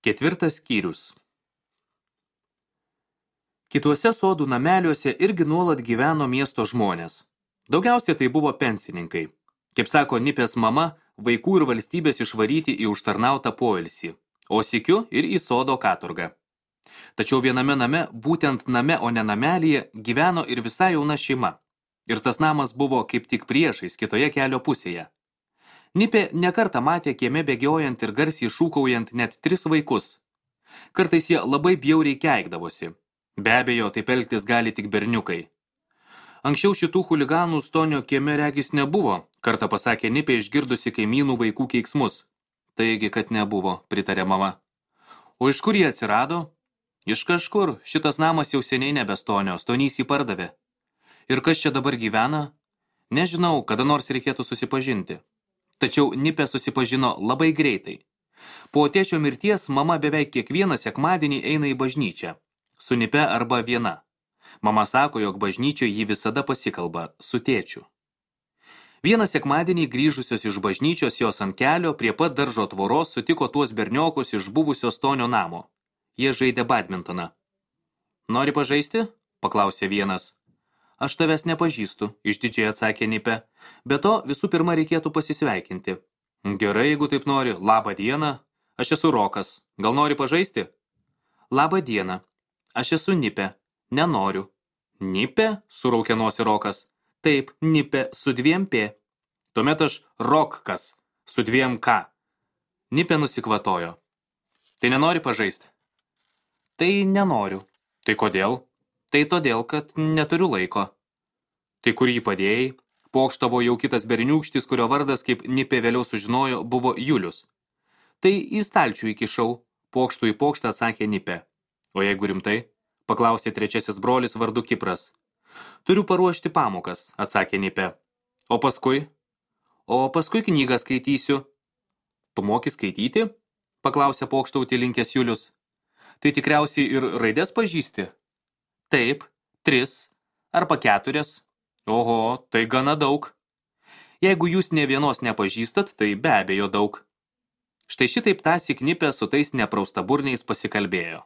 4 skyrius. Kituose sodų nameliuose irgi nuolat gyveno miesto žmonės. Daugiausia tai buvo pensininkai. Kaip sako Nipės mama, vaikų ir valstybės išvaryti į užtarnautą poilsį, o sykiu ir į sodo katurgą. Tačiau viename name, būtent name, o ne namelyje, gyveno ir visai jauna šeima. Ir tas namas buvo kaip tik priešais kitoje kelio pusėje. Nipė nekartą matė kieme bėgiojant ir garsiai šūkaujant net 3 vaikus. Kartais jie labai bjauriai keikdavosi. Be abejo, taip elgtis gali tik berniukai. Anksčiau šitų chuliganų Stonio kieme regis nebuvo, kartą pasakė Nipė išgirdusi kaimynų vaikų keiksmus. Taigi, kad nebuvo, pritarė mama. O iš kur jie atsirado? Iš kažkur, šitas namas jau seniai nebe Stonio, Stonys jį pardavė. Ir kas čia dabar gyvena? Nežinau, kada nors reikėtų susipažinti. Tačiau Nipė susipažino labai greitai. Po tėčio mirties mama beveik kiekvieną sekmadienį eina į bažnyčią. Su Nipe arba viena. Mama sako, jog bažnyčioje jį visada pasikalba su tėčiu. Vieną sekmadienį grįžusios iš bažnyčios jos ant kelio prie pat daržo tvoros sutiko tuos berniokus iš buvusio Stonio namo. Jie žaidė badmintoną. Nori pažaisti? Paklausė vienas. Aš tavęs nepažįstu, išdidžiai atsakė Nipė. Be to, visų pirma reikėtų pasisveikinti. Gerai, jeigu taip nori. Labą dieną. Aš esu Rokas. Gal nori pažaisti? Labą dieną. Aš esu Nipė. Nenoriu. Nipė? Suraukė nosį Rokas. Taip, Nipė su 2 P. Tuomet aš Rokkas su 2 K. Nipė nusikvatojo. Tai nenori pažaisti? Tai nenoriu. Tai kodėl? Tai todėl, kad neturiu laiko. Tai kur jį padėjai? Pokštavo jau kitas berniūkštis, kurio vardas, kaip Nipė vėliau sužinojo, buvo Julius. Tai į stalčių įkišau, pokštų į pokštą atsakė Nipė. O jeigu rimtai? Paklausė trečiasis brolis vardu Kipras. Turiu paruošti pamokas, atsakė Nipė. O paskui? O paskui knygą skaitysiu. Tu moki skaityti? Paklausė pokštauti linkęs Julius. Tai tikriausiai ir raidės pažįsti? Taip, 3 arba 4. Oho, tai gana daug. Jeigu jūs nė vienos nepažįstat, tai be abejo daug. Štai šitaip tąsyk Nipė su tais nepraustaburniais pasikalbėjo.